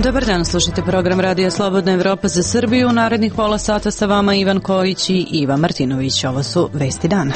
Dobar dan, slušajte program Radija Slobodna Evropa za Srbiju. U narednih pola sata sa vama Ivan Kojić i Iva Martinović. Ovo su vesti dana.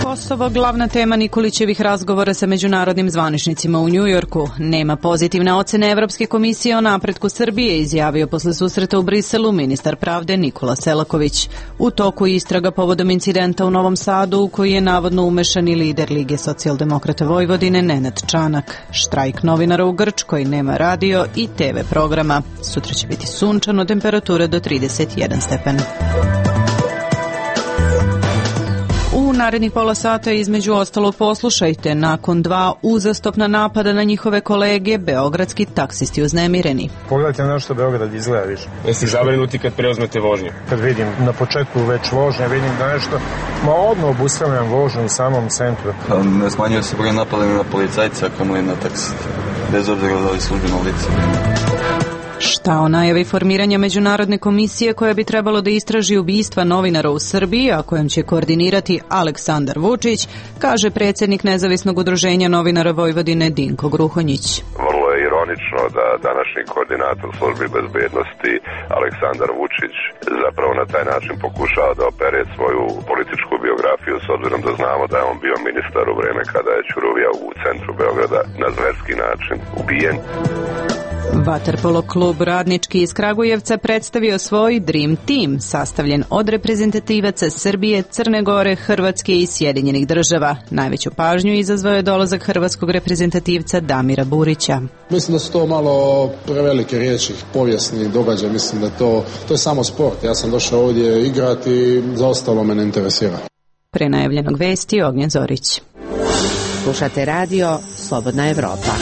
Kosovo, glavna tema Nikolićevih razgovora sa međunarodnim zvaničnicima u Njujorku. Nema pozitivne ocene Evropske komisije o napretku Srbije, izjavio posle susreta u Briselu ministar pravde Nikola Selaković. U toku istraga povodom incidenta u Novom Sadu u koji je navodno umešan i lider Lige socijaldemokrata Vojvodine Nenad Čanak. Štrajk novinara u Grčkoj, nema radio i TV programa. Sutra će biti sunčano, temperatura do 31 stepen. U narednih pola sata između ostalog poslušajte, nakon 2 uzastopna napada na njihove kolege, beogradski taksisti uznemireni. Pogledajte na što Beograd izgleda više. Jeste zabrinuti kad preuzmete vožnju? Kad vidim na početku već vožnje, vidim da nešto, odmah obustavljam vožnju u samom centru. Ne smanjuje se broj napada na policajca, kamo je na taksiste, bez obzira da li službeno lice. Šta o najavi formiranja međunarodne komisije koja bi trebalo da istraži ubistva novinara u Srbiji, a kojom će koordinirati Aleksandar Vučić, kaže predsjednik Nezavisnog udruženja novinara Vojvodine Dinko Gruhonjić. Vrlo je ironično da današnji koordinator službi bezbednosti Aleksandar Vučić zapravo na taj način pokušava da opere svoju političku biografiju, s obzirom da znamo da je on bio ministar u vreme kada je Ćuruvija u centru Beograda na zverski način ubijen. Vaterpolo klub Radnički iz Kragujevca predstavio svoj Dream Team, sastavljen od reprezentativaca Srbije, Crne Gore, Hrvatske i Sjedinjenih Država. Najveću pažnju izazvao je dolazak hrvatskog reprezentativca Damira Burića. Mislim da su to malo prevelike riječi, povijesni događaj, mislim da to je samo sport. Ja sam došao ovdje igrati i za ostalo me ne interesira. Pre najavljenog vesti Ognjen Zorić. Slušate radio Slobodna Evropa.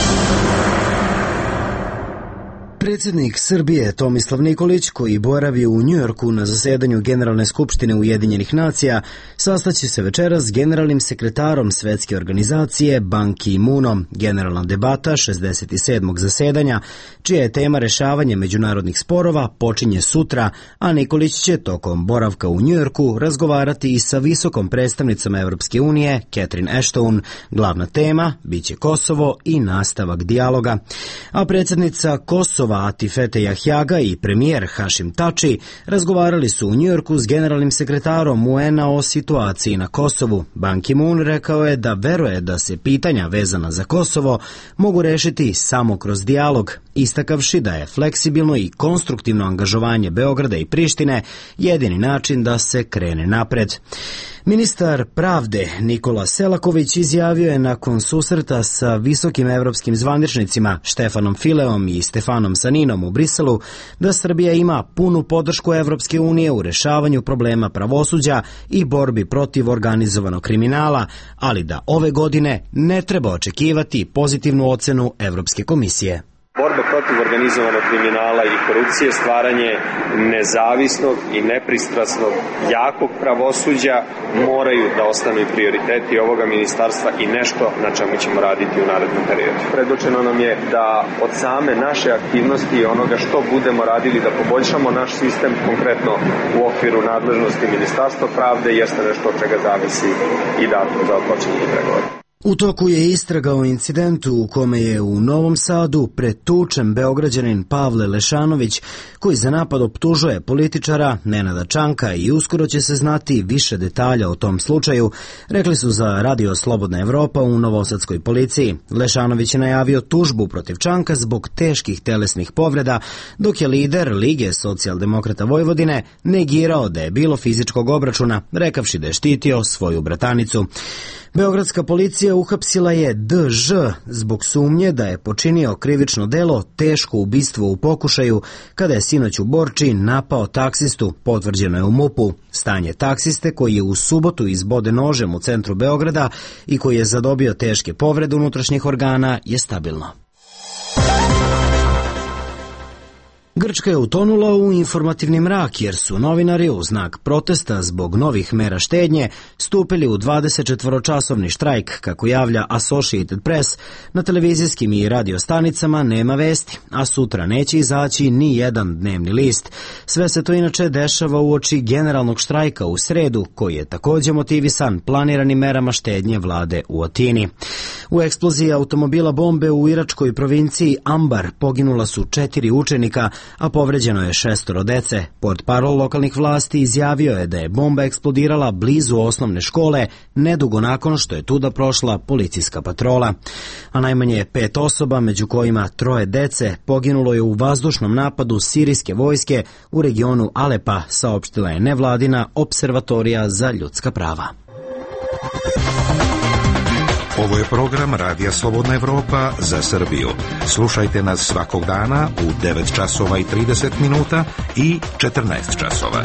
Predsjednik Srbije Tomislav Nikolić, koji boravi u Njujorku na zasedanju Generalne skupštine Ujedinjenih nacija, sastaće se večeras s generalnim sekretarom Svetske organizacije Ban Ki-moonom. Generalna debata 67. zasedanja, čija je tema rešavanje međunarodnih sporova, počinje sutra, a Nikolić će tokom boravka u Njujorku razgovarati i sa visokom predstavnicom Evropske unije, Catherine Ashton. Glavna tema biće Kosovo i nastavak dijaloga. A predsjednica Kosova Atifete Jahjaga i premijer Hašim Tači razgovarali su u Njujorku s generalnim sekretarom UN-a o situaciji na Kosovu. Ban Ki-moon rekao je da veruje da se pitanja vezana za Kosovo mogu rešiti samo kroz dijalog, istakavši da je fleksibilno i konstruktivno angažovanje Beograda i Prištine jedini način da se krene napred. Ministar pravde Nikola Selaković izjavio je nakon susreta sa visokim evropskim zvaničnicima Štefanom Fileom i Stefanom Saninom u Briselu da Srbija ima punu podršku Evropske unije u rešavanju problema pravosuđa i borbi protiv organizovanog kriminala, ali da ove godine ne treba očekivati pozitivnu ocenu Evropske komisije. Borba protiv organizovanog kriminala i korupcije, stvaranje nezavisnog i nepristrasnog, jakog pravosuđa moraju da ostanu i prioriteti ovoga ministarstva i nešto na čemu ćemo raditi u narednom periodu. Predočeno nam je da od same naše aktivnosti i onoga što budemo radili da poboljšamo naš sistem, konkretno u okviru nadležnosti Ministarstva pravde, jeste nešto od čega zavisi i datum za otpočinjanje pregovora. U toku je istraga o incidentu u kome je u Novom Sadu pretučen Beograđanin Pavle Lešanović, koji za napad optužuje političara Nenada Čanka i uskoro će se znati više detalja o tom slučaju, rekli su za Radio Slobodna Evropa u novosadskoj policiji. Lešanović je najavio tužbu protiv Čanka zbog teških telesnih povreda, dok je lider Lige socijaldemokrata Vojvodine negirao da je bilo fizičkog obračuna, rekavši da je štitio svoju bratanicu. Beogradska policija uhapsila je D.Ž. zbog sumnje da je počinio krivično delo teško ubistvo u pokušaju kada je sinoć u Borči napao taksistu, potvrđeno je u MUP-u. Stanje taksiste koji je u subotu izboden nožem u centru Beograda i koji je zadobio teške povrede unutrašnjih organa je stabilno. Grčka je utonula u informativni mrak jer su novinari u znak protesta zbog novih mera štednje stupili u 24-časovni štrajk, kako javlja Associated Press. Na televizijskim i radio stanicama nema vesti, a sutra neće izaći ni jedan dnevni list. Sve se to inače dešava uoči generalnog štrajka u sredu, koji je također motivisan planiranim merama štednje vlade u Atini. U eksploziji automobila bombe u iračkoj provinciji Ambar poginula su 4 učenika, a povređeno je 6 dece. Portparol lokalnih vlasti izjavio je da je bomba eksplodirala blizu osnovne škole, nedugo nakon što je tuda prošla policijska patrola. A najmanje 5 osoba, među kojima 3 dece, poginulo je u vazdušnom napadu sirijske vojske u regionu Alepa, saopštila je nevladina Observatorija za ljudska prava. Ovo je program Radija Slobodna Evropa za Srbiju. Slušajte nas svakog dana u 9 časova i 30 minuta i 14 časova.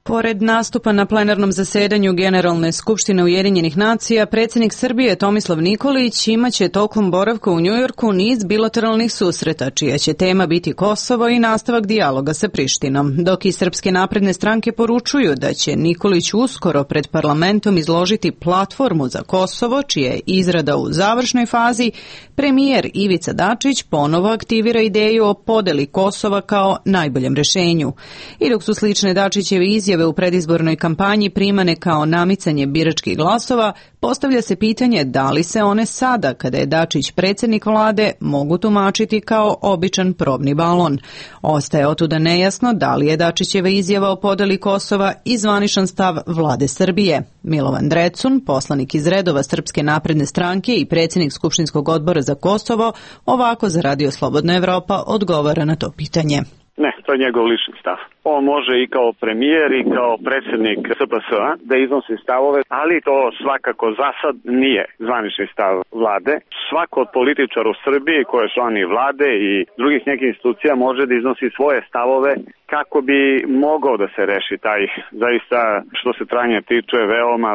Pored nastupa na plenarnom zasedanju Generalne skupštine Ujedinjenih nacija, predsjednik Srbije Tomislav Nikolić imaće tokom boravka u Njujorku niz bilateralnih susreta, čija će tema biti Kosovo i nastavak dijaloga sa Prištinom, dok i Srpske napredne stranke poručuju da će Nikolić uskoro pred parlamentom izložiti platformu za Kosovo, čija je izrada u završnoj fazi. Premijer Ivica Dačić ponovo aktivira ideju o podeli Kosova kao najboljem rješenju. I dok su slične Dačićeve izjave u predizbornoj kampanji primane kao namicanje biračkih glasova, postavlja se pitanje da li se one sada, kada je Dačić predsjednik vlade, mogu tumačiti kao običan probni balon. Ostaje otuda nejasno da li je Dačićeva izjava o podeli Kosova i zvaničan stav vlade Srbije. Milovan Drecun, poslanik iz redova Srpske napredne stranke i predsjednik Skupštinskog odbora za Kosovo, ovako za Radio Slobodna Evropa odgovara na to pitanje. Ne, to je njegov lični stav. On može i kao premijer i kao predsjednik SPS-a da iznosi stavove, ali to svakako za sad nije zvanični stav vlade. Svako od političara u Srbiji koji je član i vlade i drugih nekih institucija može da iznosi svoje stavove kako bi mogao da se reši taj zaista, što se trajanja tiče,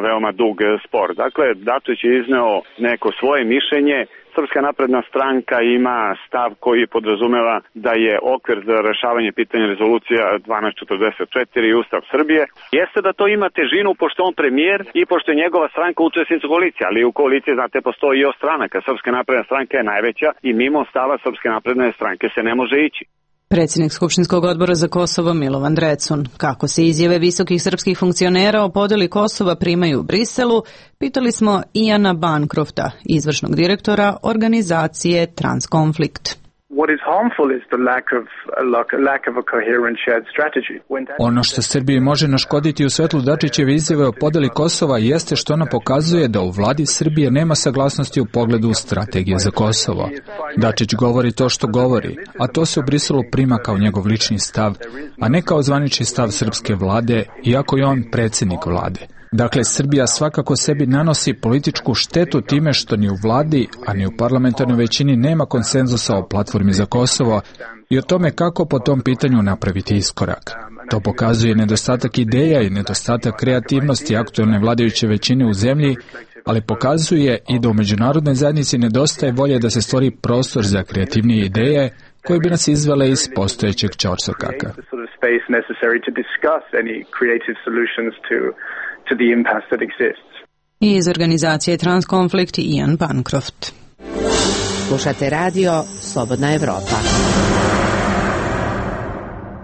veoma dug spor. Dakle, Dačić je izneo neko svoje mišljenje. Srpska napredna stranka ima stav koji podrazumeva da je okvir za rešavanje pitanja rezolucija 1244 i Ustav Srbije. Jeste da to ima težinu pošto on premijer i pošto je njegova stranka učesnica koalicije, ali u koaliciji, znate, postoji i stranaka. Srpska napredna stranka je najveća i mimo stava Srpske napredne stranke se ne može ići. Predsjednik Skupštinskog odbora za Kosovo Milovan Drecun. Kako se izjave visokih srpskih funkcionera o podeli Kosova primaju u Briselu, pitali smo Iana Bancrofta, izvršnog direktora organizacije Transkonflikt. Ono što Srbiji može naškoditi u svetlu Dačićeve izjave o podeli Kosova jeste što ona pokazuje da u vladi Srbije nema saglasnosti u pogledu strategije za Kosovo. Dačić govori to što govori, a to se u Briselu prima kao njegov lični stav, a ne kao zvanični stav srpske vlade, iako je on predsjednik vlade. Dakle, Srbija svakako sebi nanosi političku štetu time što ni u vladi, a ni u parlamentarnoj većini nema konsenzusa o platformi za Kosovo i o tome kako po tom pitanju napraviti iskorak. To pokazuje nedostatak ideja i nedostatak kreativnosti aktuelne vladajuće većine u zemlji, ali pokazuje i da u međunarodnoj zajednici nedostaje volje da se stvori prostor za kreativnije ideje koje bi nas izvele iz postojećeg ćorsokaka. I iz organizacije Transkonflikt Ian Bancroft. Slušate radio Slobodna Evropa.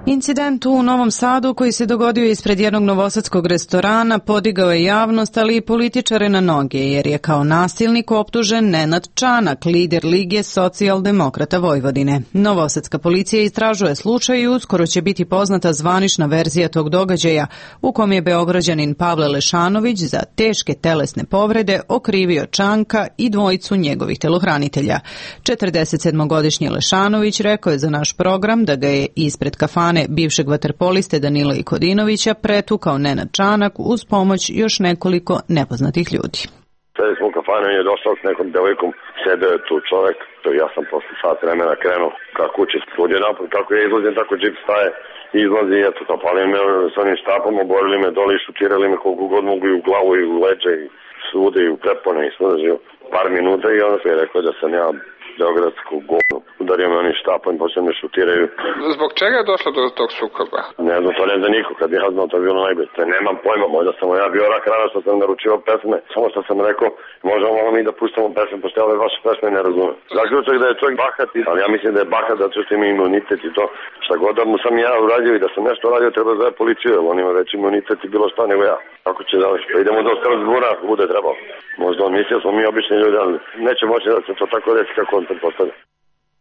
Incident u Novom Sadu koji se dogodio ispred jednog novosadskog restorana podigao je javnost, ali i političare na noge, jer je kao nasilnik optužen Nenad Čanak, lider Lige socijaldemokrata Vojvodine. Novosadska policija istražuje slučaj i uskoro će biti poznata zvanična verzija tog događaja, u kom je Beograđanin Pavle Lešanović za teške telesne povrede okrivio Čanka i dvojicu njegovih telohranitelja. 47-godišnji Lešanović rekao je za naš program da ga je ispred kafane bivšeg vaterpoliste Danila Ikodinovića pretukao Nenad Čanak uz pomoć još nekoliko nepoznatih ljudi. Sedi smo u kafanu i je došao s nekom devojkom, sedeo je tu čovek, ja sam posle sat vremena krenuo ka kući, svud je napad, kako ja izlazim, tako džip staje, izlazi i eto, napali me s onim štapom, oborili me dole i šutirali me koliko god mogu i u glavu i u leđe i svude i u prepone i svuda živo. par minuta i onda je rekao da sam ja beogradsku govnu. Udario me oni štapom i počeo me šutiraju. Zbog čega je došlo do tog sukoba? Ne znam, to ne zna niko. Kad ja znam, to je bilo najbolje. Nemam pojma, možda sam ja bio rak rana što sam naručivao pesme. Samo što sam rekao, možemo mi da pustamo pesme, pošto ove vaše pesme ne razumem. Zaključak da je čovjek bahat, ali ja mislim da je bahat zato što ima imunitet i to. Šta god da mu sam ja uradio i da sam nešto radio, treba da je policiju, jer on ima veći imunitet i bilo šta nego ja. Kako će dalje? Pa idemo do Strasbura, ako bude trebalo. Možda on mislio smo mi obični ljudi, ali neće moći da se to tako reći kako on pretpostavlja.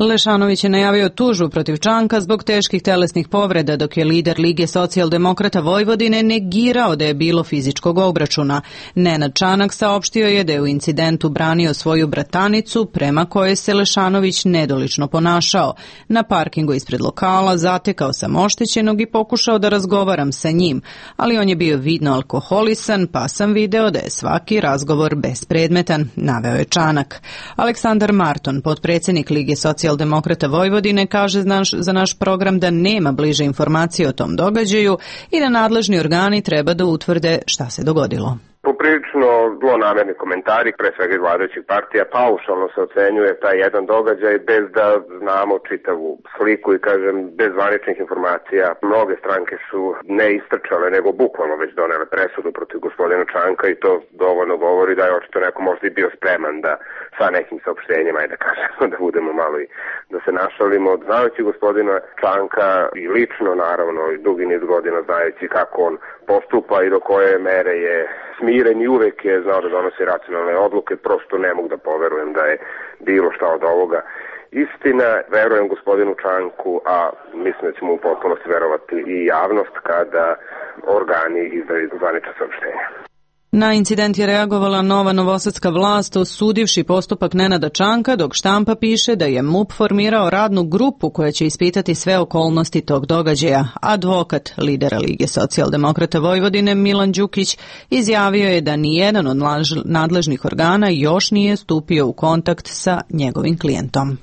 Lešanović je najavio tužbu protiv Čanka zbog teških telesnih povreda, dok je lider Lige socijaldemokrata Vojvodine negirao da je bilo fizičkog obračuna. Nenad Čanak saopštio je da je u incidentu branio svoju bratanicu, prema kojoj se Lešanović nedolično ponašao. Na parkingu ispred lokala zatekao sam oštećenog i pokušao da razgovaram sa njim, ali on je bio vidno alkoholisan, pa sam video da je svaki razgovor bespredmetan, naveo je Čanak. Aleksandar Marton, potpredsjednik Lige socijaldemokrata Vojvodine, kaže za naš program da nema bliže informacije o tom događaju i da nadležni organi treba da utvrde šta se dogodilo. Poprilično zlonamerni komentari, pre svega iz vladajućih partija, paušalno se ocenjuje taj jedan događaj bez da znamo čitavu sliku i kažem bez zvaničnih informacija. Mnoge stranke su ne istrčale nego bukvalno već donele presudu protiv gospodina Čanka i to dovoljno govori da je očito neko možda i bio spreman da sa nekim saopštenjima, da kažemo, da budemo malo i da se našalimo. Znajući gospodina Čanka i lično naravno i dugi niz godina znajući kako on postupa i do koje mere je smiren i uvek je znao da donosi racionalne odluke, prosto ne mogu da poverujem da je bilo šta od ovoga istina. Verujem gospodinu Čanku, a mislim da ćemo u potpunosti verovati i javnost kada organi izdaju zvanična saopštenja. Na incident je reagovala nova novosadska vlast osudivši postupak Nenada Čanka, dok štampa piše da je MUP formirao radnu grupu koja će ispitati sve okolnosti tog događaja. Advokat lidera Lige socijaldemokrata Vojvodine Milan Đukić izjavio je da nijedan od nadležnih organa još nije stupio u kontakt sa njegovim klijentom.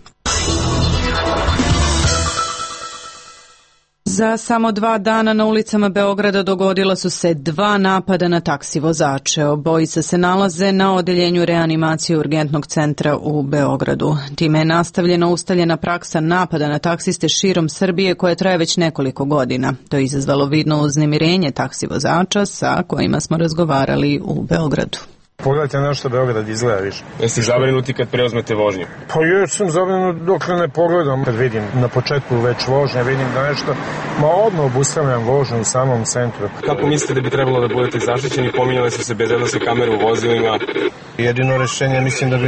Za samo 2 dana na ulicama Beograda dogodila su se 2 napada na taksi vozače. Obojica se nalaze na odeljenju reanimacije urgentnog centra u Beogradu. Time je nastavljena ustaljena praksa napada na taksiste širom Srbije koja traje već nekoliko godina. To je izazvalo vidno uznemirenje taksi vozača sa kojima smo razgovarali u Beogradu. Pogledajte na što Beograd izgleda više. Jeste zabrinuti kad preuzmete vožnju? Pa još sam zabrinut dok ne pogledam. Kad vidim na početku već vožnje, vidim da nešto, odmah obustavljam vožnju u samom centru. Kako mislite da bi trebalo da budete zaštićeni? Pominjale su se bezbednosne kamere u vozilima. Jedino rešenje mislim da bi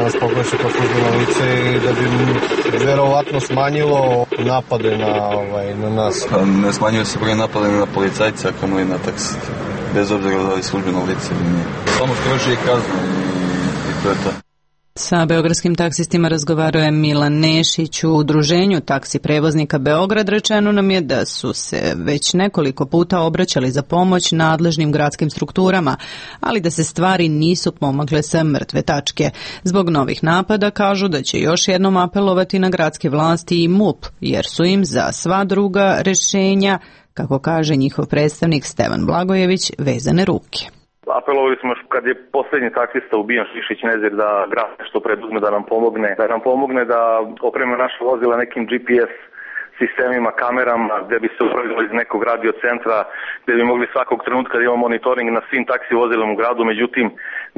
nas pogledali kao službeno lice i da bi verovatno smanjilo napade na nas. Ne smanjuje se broj napada na policajca, kamo i na taksi. Bez obzira da li službeno lice ili nije. Samo stroži je kazna i to je to. Sa beogradskim taksistima razgovarao je Milan Nešić. U udruženju taksi prevoznika Beograd rečeno nam je da su se već nekoliko puta obraćali za pomoć nadležnim gradskim strukturama, ali da se stvari nisu pomakle sa mrtve tačke. Zbog novih napada kažu da će još jednom apelovati na gradske vlasti i MUP, jer su im za sva druga rešenja, kako kaže njihov predstavnik Stevan Blagojević, vezane ruke. Apelovali smo kad je posljednji taksista ubijen Šišić Nezir da grad što preduzme da nam pomogne da opreme naše vozila nekim GPS sistemima, kamerama, gde bi se upravljali iz nekog radio centra, gde bi mogli svakog trenutka da imamo monitoring na svim taksi vozilima u gradu, međutim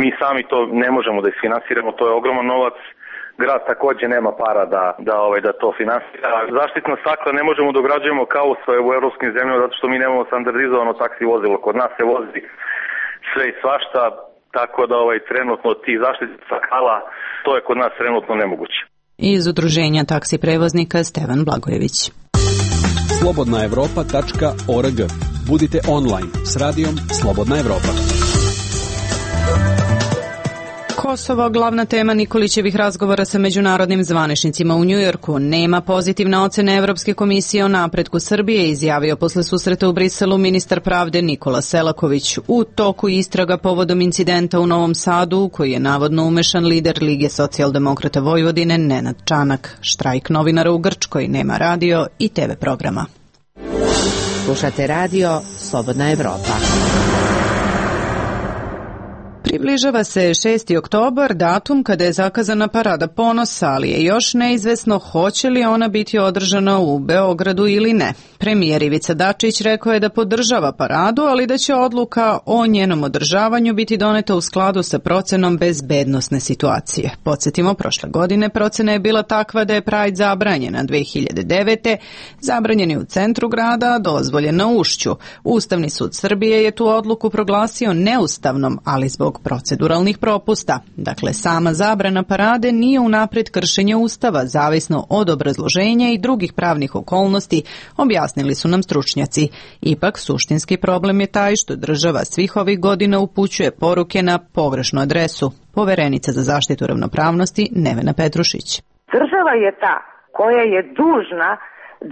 mi sami to ne možemo da isfinansiramo, to je ogroman novac. Grad takođe nema para da to finansira. Zaštitna stakla ne možemo da ugrađujemo kao u evropskim zemljama zato što mi nemamo standardizovano taksi vozilo. Kod nas se vozi sve i svašta, tako da trenutno ti zaštitnih stakala, to je kod nas trenutno nemoguće. Iz udruženja taksi prevoznika Stevan Blagojević. slobodnaevropa.org. Budite online s radijom Slobodna Evropa. Kosovo, glavna tema Nikolićevih razgovora sa međunarodnim zvaničnicima u Njujorku. Nema pozitivne ocene Evropske komisije o napretku Srbije, izjavio posle susreta u Briselu ministar pravde Nikola Selaković. U toku istraga povodom incidenta u Novom Sadu, u koji je navodno umešan lider Lige socijaldemokrata Vojvodine Nenad Čanak. Štrajk novinara u Grčkoj, nema radio i TV programa. Slušate radio Slobodna Evropa. Približava se 6. oktobar, datum kada je zakazana Parada ponosa, ali je još neizvesno hoće li ona biti održana u Beogradu ili ne. Premijer Ivica Dačić rekao je da podržava paradu, ali da će odluka o njenom održavanju biti doneta u skladu sa procenom bezbednosne situacije. Podsjetimo, prošle godine procena je bila takva da je Pride zabranjena 2009. Zabranjen je u centru grada, a dozvoljen na Ušću. Ustavni sud Srbije je tu odluku proglasio neustavnom, ali zbog proceduralnih propusta. Dakle, sama zabrana parade nije unapred kršenje Ustava, zavisno od obrazloženja i drugih pravnih okolnosti, objasnili su nam stručnjaci. Ipak, suštinski problem je taj što država svih ovih godina upućuje poruke na pogrešnu adresu. Poverenica za zaštitu ravnopravnosti Nevena Petrušić. Država je ta koja je dužna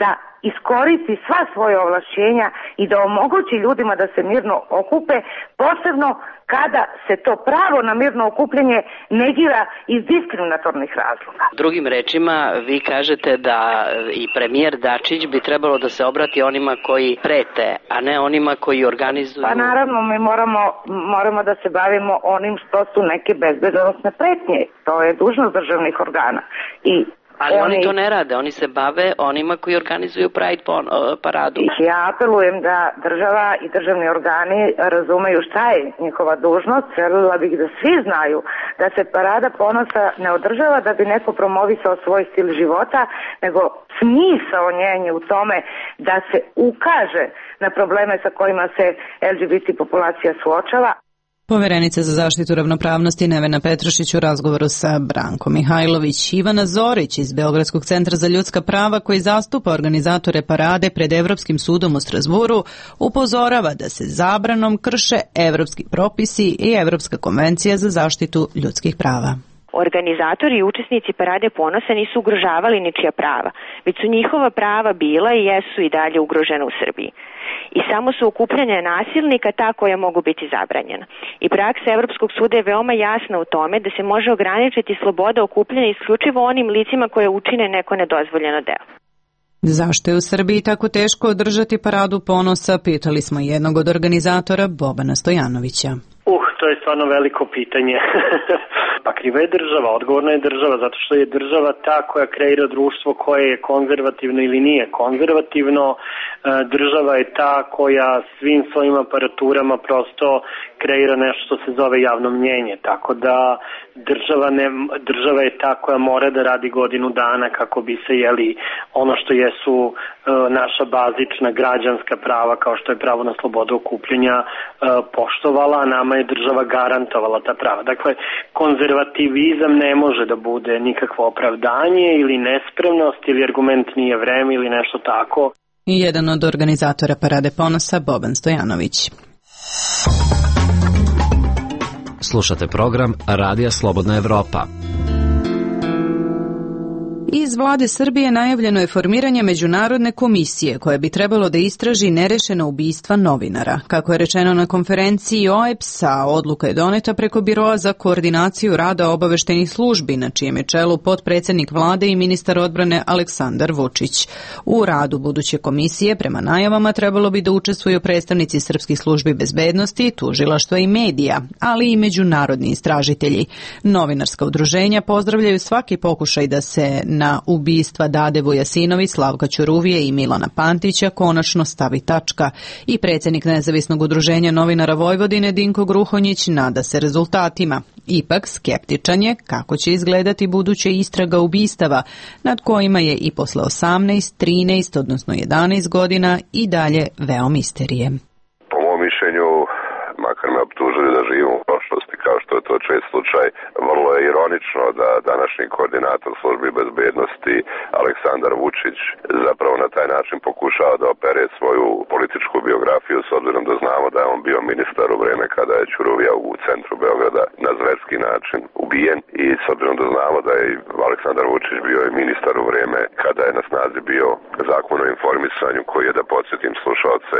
da iskoristi sva svoje ovlašćenja i da omogući ljudima da se mirno okupe, posebno kada se to pravo na mirno okupljanje negira iz diskriminatornih razloga. Drugim rečima, vi kažete da i premijer Dačić bi trebalo da se obrati onima koji prete, a ne onima koji organizuju... Pa naravno, mi moramo da se bavimo onim što su neke bezbednosne pretnje. To je dužnost državnih organa. Ali oni to ne rade, oni se bave onima koji organizuju Pride paradu. Ja apelujem da država i državni organi razumeju šta je njihova dužnost. Željela bih da svi znaju da se Parada ponosa ne održava da bi neko promovisao svoj stil života, nego smisao njen je u tome da se ukaže na probleme sa kojima se LGBT populacija suočava. Poverenica za zaštitu ravnopravnosti Nevena Petrušić u razgovoru sa Brankom Mihajlović. Ivana Zorić iz Beogradskog centra za ljudska prava, koji zastupa organizatore parade pred Evropskim sudom u Strazburu, upozorava da se zabranom krše evropski propisi i Evropska konvencija za zaštitu ljudskih prava. Organizatori i učesnici Parade ponosa nisu ugrožavali ničija prava, već su njihova prava bila i jesu i dalje ugrožena u Srbiji. I samo su okupljanja nasilnika ta koja mogu biti zabranjena. I praksa Evropskog suda je veoma jasna u tome da se može ograničiti sloboda okupljanja isključivo onim licima koje učine neko nedozvoljeno delo. Zašto je u Srbiji tako teško održati Paradu ponosa, pitali smo jednog od organizatora, Bobana Stojanovića. To je stvarno veliko pitanje. Pa kriva je država, odgovorna je država, zato što je država ta koja kreira društvo koje je konzervativno ili nije konzervativno. Država je ta koja svim svojim aparaturama prosto kreira nešto što se zove javno mnjenje. Tako da država je ta koja mora da radi godinu dana kako bi se ono što jesu naša bazična građanska prava, kao što je pravo na slobodu okupljanja, poštovala, a nama je država garantovala ta prava. Dakle, konzervativizam ne može da bude nikakvo opravdanje ili nespremnost ili argument nije vreme ili nešto tako. I jedan od organizatora Parade ponosa, Boban Stojanović. Slušate program Radija Slobodna Evropa. Iz vlade Srbije najavljeno je formiranje međunarodne komisije koja bi trebalo da istraži nerešena ubistva novinara. Kako je rečeno na konferenciji OEBS-a, odluka je doneta preko Biroa za koordinaciju rada obaveštajnih službi, na čijem je čelu potpredsednik vlade i ministar odbrane Aleksandar Vučić. U radu buduće komisije, prema najavama, trebalo bi da učestvuju predstavnici srpskih službi bezbednosti, tužilaštva i medija, ali i međunarodni istražitelji. Novinarska udruženja pozdravljaju svaki pokušaj da se na ubistva Dade Vujasinović, Slavka Ćuruvije i Milana Pantića konačno stavi tačka. I predsjednik Nezavisnog udruženja novinara Vojvodine Dinko Gruhonjić nada se rezultatima. Ipak skeptičan je kako će izgledati buduća istraga ubistava, nad kojima je i posle 18, 13, odnosno 11 godina i dalje veo misterije. Po mom mišljenju, makar me optužili da živim u prošlosti, kao što je to čest slučaj, vrlo je ironično da današnji koordinator službi bezbednosti Aleksandar Vučić zapravo na taj način pokušava da opere svoju političku biografiju, s obzirom da znamo da je on bio ministar u vreme kada je Ćuruvija u centru Beograda na zverski način ubijen, i s obzirom da znamo da je Aleksandar Vučić bio i ministar u vreme kada je na snazi bio zakon o informisanju, koji je, da podsjetim slušalce,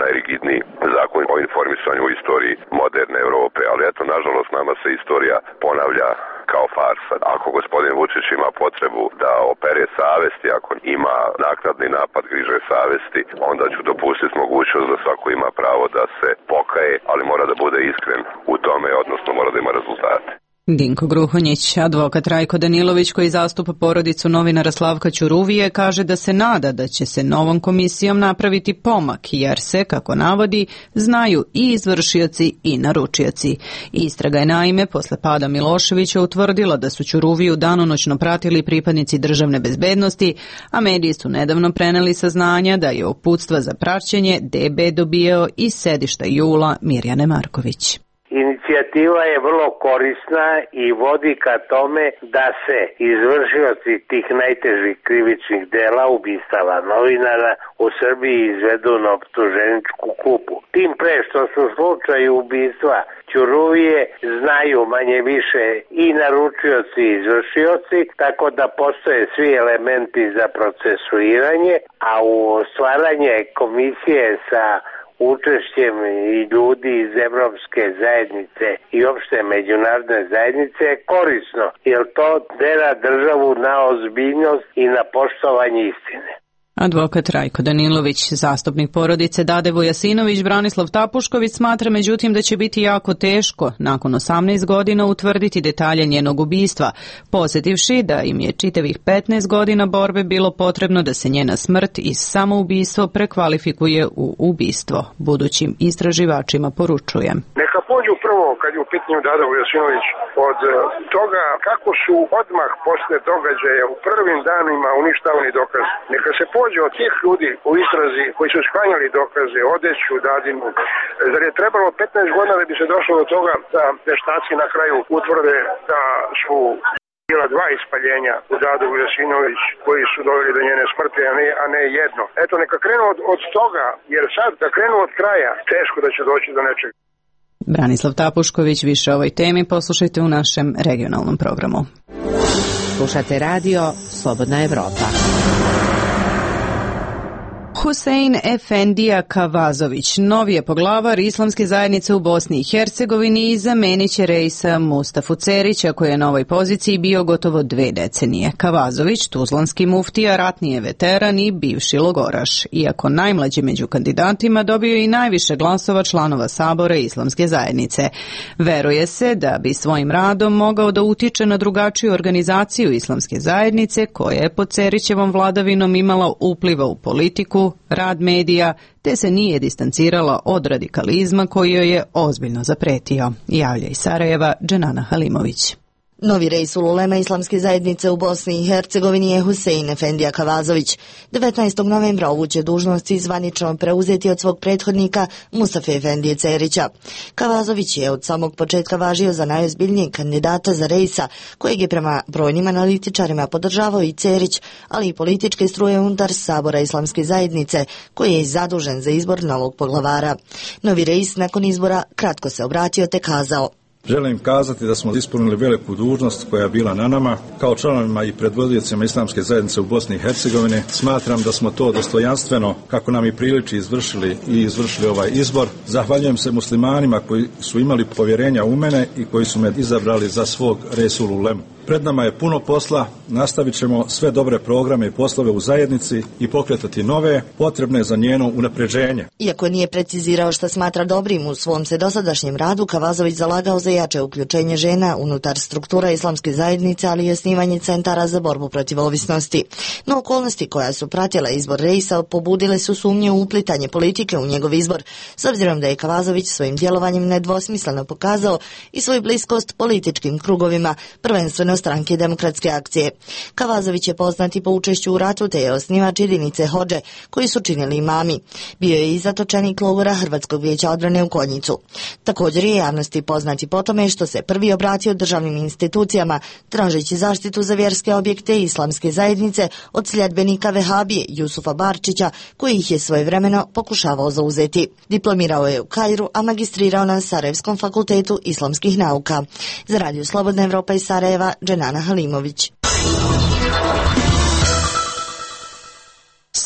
najrigidniji zakon o informisanju u istoriji moderne Evrope. Ali eto, nažalost, nama se istorija ponavlja kao farsa. Ako gospodin Vučić ima potrebu da opere savesti, ako ima naknadni napad griže savesti, onda ću dopustiti mogućnost da svako ima pravo da se pokaje, ali mora da bude iskren u tome, odnosno mora da ima rezultate. Dinko Gruhonjić, advokat Rajko Danilović koji zastupa porodicu novinara Slavka Ćuruvije, kaže da se nada da će se novom komisijom napraviti pomak, jer se, kako navodi, znaju i izvršioci i naručioci. Istraga je naime posle pada Miloševića utvrdila da su Ćuruviju danonoćno pratili pripadnici državne bezbednosti, a mediji su nedavno preneli saznanja da je uputstva za praćenje DB dobijao iz sedišta JUL-a Mirjane Marković. Inicijativa je vrlo korisna i vodi ka tome da se izvršioci tih najtežih krivičnih dela ubistava novinara u Srbiji izvedu na optuženičku klupu. Tim pre što su slučaju ubistva Ćuruvije znaju manje više i naručioci i izvršioci, tako da postoje svi elementi za procesuiranje, a u stvaranje komisije sa učešćem i ljudi iz Evropske zajednice i opšte međunarodne zajednice je korisno, jer to tera državu na ozbiljnost i na poštovanje istine. Advokat Rajko Danilović, zastupnik porodice Dade Vujasinović, Branislav Tapušković smatra međutim da će biti jako teško nakon 18 godina utvrditi detalje njenog ubistva, posjetivši da im je čitavih 15 godina borbe bilo potrebno da se njena smrt iz samoubistvo prekvalifikuje u ubistvo. Budućim istraživačima poručuje. Neka pođu prvo, kad je u pitanju Dada Vujasinović, od toga kako su odmah posle događaja u prvim danima uništavani dokazi. Neka se pođe od tih ljudi u istrazi koji su sklanjali dokaze, odeću, Dadinu. Zar je trebalo 15 godina da bi se došlo do toga da veštaci na kraju utvrde da su bila 2 ispaljenja u Dadu Vujasinović koji su doveli do njene smrti, a ne jedno. Eto, neka krenu od toga, jer sad da krenu od kraja, teško da će doći do nečeg. Branislav Tapušković, više o ovoj temi poslušajte u našem regionalnom programu. Slušate radio Slobodna Evropa. Husein Efendija Kavazović, novi je poglavar islamske zajednice u Bosni i Hercegovini i zamenit će Reisa Mustafu Cerića koji je na ovoj poziciji bio gotovo 2 decenije. Kavazović, tuzlanski muftija, ratni je veteran i bivši logoraš. Iako najmlađi među kandidatima, dobio i najviše glasova članova Sabora islamske zajednice. Veruje se da bi svojim radom mogao da utiče na drugačiju organizaciju islamske zajednice koja je pod Cerićevom vladavinom imala upliva u politiku, rad medija, te se nije distancirala od radikalizma koji joj je ozbiljno zapretio. Javlja iz Sarajeva Dženana Halimović. Novi Reisul ulema islamske zajednice u Bosni i Hercegovini je Husein Efendija Kavazović. 19. novembra ovu će dužnosti zvanično preuzeti od svog prethodnika Mustafe Efendije Cerića. Kavazović je od samog početka važio za najozbiljnijeg kandidata za Reisa, kojeg je prema brojnim analitičarima podržavao i Cerić, ali i političke struje unutar Sabora islamske zajednice, koji je zadužen za izbor novog poglavara. Novi Reis nakon izbora kratko se obratio te kazao: Želim kazati da smo ispunili veliku dužnost koja je bila na nama. Kao članovima i predvodiocima islamske zajednice u Bosni i Hercegovini smatram da smo to dostojanstveno, kako nam i priliči, izvršili ovaj izbor. Zahvaljujem se muslimanima koji su imali povjerenja u mene i koji su me izabrali za svog Reisul ulemu. Pred nama je puno posla, nastavit ćemo sve dobre programe i poslove u zajednici i pokretati nove, potrebne za njeno unapređenje. Iako nije precizirao šta smatra dobrim u svom se dosadašnjem radu, Kavazović zalagao za jače uključenje žena unutar struktura islamske zajednice, ali i osnivanje centara za borbu protiv ovisnosti. No okolnosti koja su pratila izbor Reisa pobudile su sumnje u uplitanje politike u njegov izbor, s obzirom da je Kavazović svojim djelovanjem nedvosmisleno pokazao i svoju bliskost političkim krugovima, prvenstveno Stranke demokratske akcije. Kavazović je poznati po učešću u ratu te je osnivač jedinice Hodže koji su činili imami. Bio je i zatočenik logora Hrvatskog vijeća odbrane u Konjicu. Također je javnosti poznati po tome što se prvi obratio državnim institucijama tražeći zaštitu za vjerske objekte islamske zajednice od sljedbenika Vehabije Jusufa Barčića koji ih je svojevremeno pokušavao zauzeti. Diplomirao je u Kairu, a magistrirao na Sarajevskom fakultetu islamskih nauka. Za Radio Slobodna Evropa iz Sarajeva, Dženana Halimović.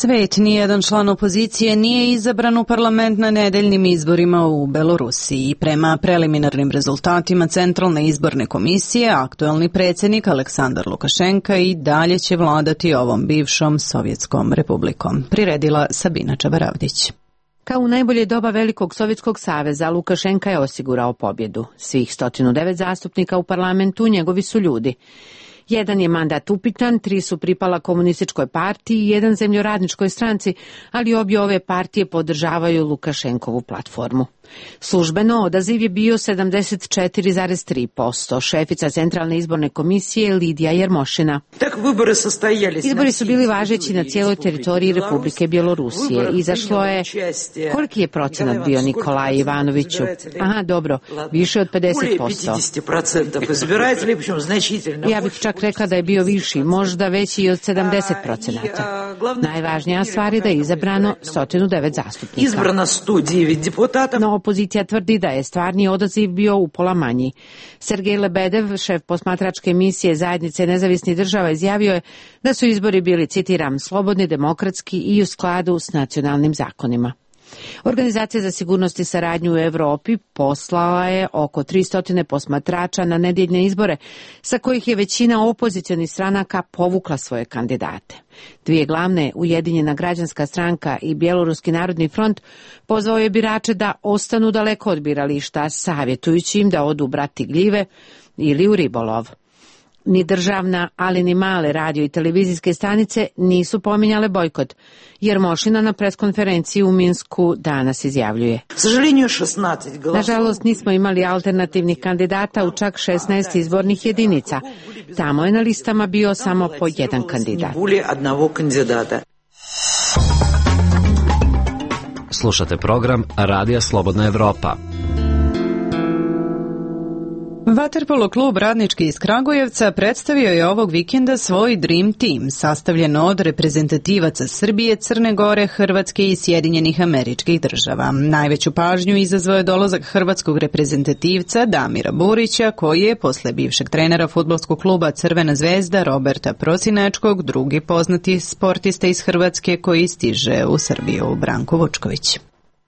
Svet, nijedan član opozicije nije izabran u parlament na nedeljnim izborima u Belorusiji. Prema preliminarnim rezultatima Centralne izborne komisije, aktuelni predsjednik Aleksandar Lukašenka i dalje će vladati ovom bivšom Sovjetskom republikom. Priredila Sabina Čabaravdić. Kao u najbolje doba Velikog Sovjetskog saveza, Lukašenka je osigurao pobjedu. Svih 109 zastupnika u parlamentu njegovi su ljudi. Jedan je mandat upitan, 3 su pripala komunističkoj partiji i 1 zemljoradničkoj stranci, ali obje ove partije podržavaju Lukašenkovu platformu. Službeno odaziv je bio 74,3%. Šefica Centralne izborne komisije Lidija Jermošina. Izbori su bili važeći na cijeloj teritoriji Republike Bjelorusije. Izašlo je, koliki je procenat bio, Nikolaj Ivanoviću? Aha, dobro, više od 50%. Ja bih čak rekla da je bio viši, možda veći i od 70%. Najvažnija stvar je da je izabrano 109 zastupnika. No, opozicija tvrdi da je stvarni odaziv bio upola manji. Sergej Lebedev, šef posmatračke misije Zajednice nezavisnih država, izjavio je da su izbori bili, citiram, slobodni, demokratski i u skladu s nacionalnim zakonima. Organizacija za sigurnost i saradnju u Europi poslala je oko 300 posmatrača na nedjeljne izbore, sa kojih je većina opozicionih stranaka povukla svoje kandidate. 2 glavne, Ujedinjena građanska stranka i Bjeloruski narodni front, pozvao je birače da ostanu daleko od birališta, savjetujući im da odu brati gljive ili u ribolov. Ni državna, ali ni male radio i televizijske stanice nisu pominjale bojkot, jer Mošina na preskonferenciji u Minsku danas izjavljuje. Nažalost, nismo imali alternativnih kandidata u čak 16 izbornih jedinica. Tamo je na listama bio samo po 1 kandidat. Slušate program Radija Slobodna Evropa. Vaterpolo klub Radnički iz Kragujevca predstavio je ovog vikenda svoj Dream Team, sastavljen od reprezentativaca Srbije, Crne Gore, Hrvatske i Sjedinjenih Američkih Država. Najveću pažnju izazvao je dolazak hrvatskog reprezentativca Damira Burića, koji je posle bivšeg trenera fudbalskog kluba Crvena zvezda Roberta Prosinečkog drugi poznati sportista iz Hrvatske koji stiže u Srbiju, Branko Vučković.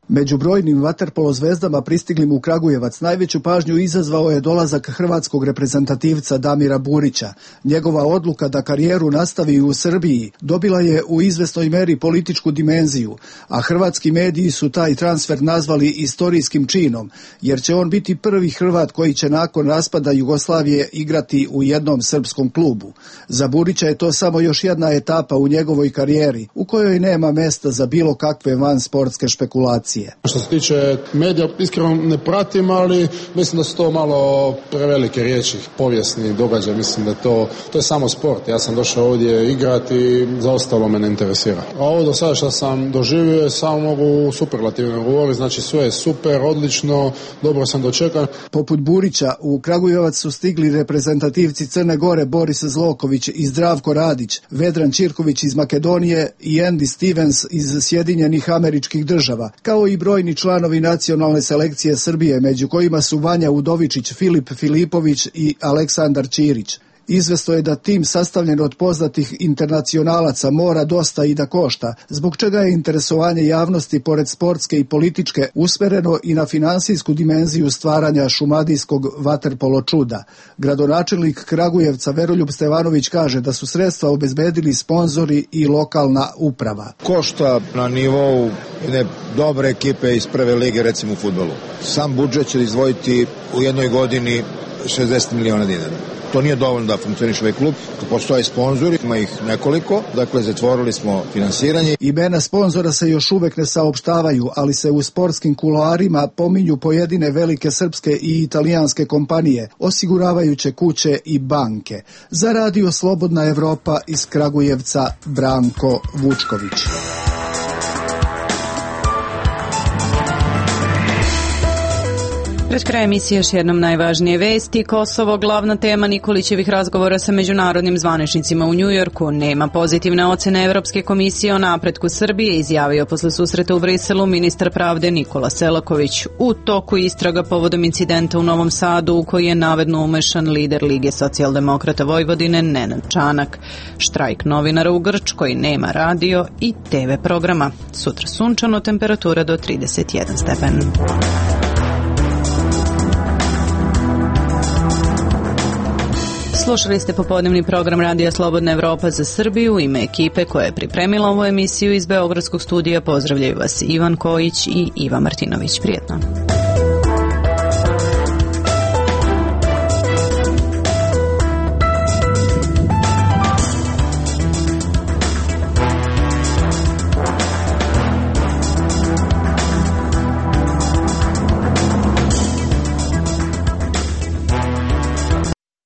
Među brojnim vaterpolo zvezdama pristiglim u Kragujevac najveću pažnju izazvao je dolazak hrvatskog reprezentativca Damira Burića. Njegova odluka da karijeru nastavi u Srbiji dobila je u izvesnoj meri političku dimenziju, a hrvatski mediji su taj transfer nazvali istorijskim činom, jer će on biti prvi Hrvat koji će nakon raspada Jugoslavije igrati u jednom srpskom klubu. Za Burića je to samo još jedna etapa u njegovoj karijeri, u kojoj nema mesta za bilo kakve vansportske špekulacije. Što se tiče medija, iskreno ne pratim, ali mislim da su to malo prevelike riječi, povijesni događaj, mislim da to je samo sport. Ja sam došao ovdje igrati i za ostalo me ne interesira. A ovo do sada što sam doživio samo mogu superlativno govoriti, znači sve je super, odlično, dobro sam dočekan. Poput Burića u Kragujevac su stigli reprezentativci Crne Gore Boris Zloković i Zdravko Radić, Vedran Čirković iz Makedonije i Andy Stevens iz Sjedinjenih Američkih Država, kao i brojni članovi nacionalne selekcije Srbije, među kojima su Vanja Udovičić, Filip Filipović i Aleksandar Ćirić. Izvesno je da tim sastavljen od poznatih internacionalaca mora dosta i da košta, zbog čega je interesovanje javnosti pored sportske i političke usmereno i na finansijsku dimenziju stvaranja šumadijskog vaterpolo čuda. Gradonačelnik Kragujevca Veroljub Stevanović kaže da su sredstva obezbedili sponzori i lokalna uprava. Košta na nivou jedne dobre ekipe iz prve lige, recimo u fudbalu. Sam budžet će izdvojiti u jednoj godini 60 miliona dinara. To nije dovoljno da funkcioniše ovaj klub, postoje sponzori, ima ih nekoliko, dakle zatvorili smo finansiranje. Imena sponzora se još uvek ne saopštavaju, ali se u sportskim kuloarima pominju pojedine velike srpske i italijanske kompanije, osiguravajuće kuće i banke. Za Radio Slobodna Evropa iz Kragujevca, Branko Vučković. Pred kraj emisije još jednom najvažnije vesti. Kosovo, glavna tema Nikolićevih razgovora sa međunarodnim zvaničnicima u Njujorku. Nema pozitivne ocene Evropske komisije o napretku Srbije, izjavio posle susreta u Briselu ministar pravde Nikola Selaković. U toku istraga povodom incidenta u Novom Sadu u koji je navedno umešan lider Lige socijaldemokrata Vojvodine Nenad Čanak. Štrajk novinara u Grčkoj, nema radio i TV programa. Sutra sunčano, temperatura do 31 stepen. Slušali ste popodnevni program Radija Slobodna Evropa za Srbiju. U ime ekipe koja je pripremila ovu emisiju iz Beogradskog studija pozdravljaju vas Ivan Kojić i Iva Martinović. Prijetno.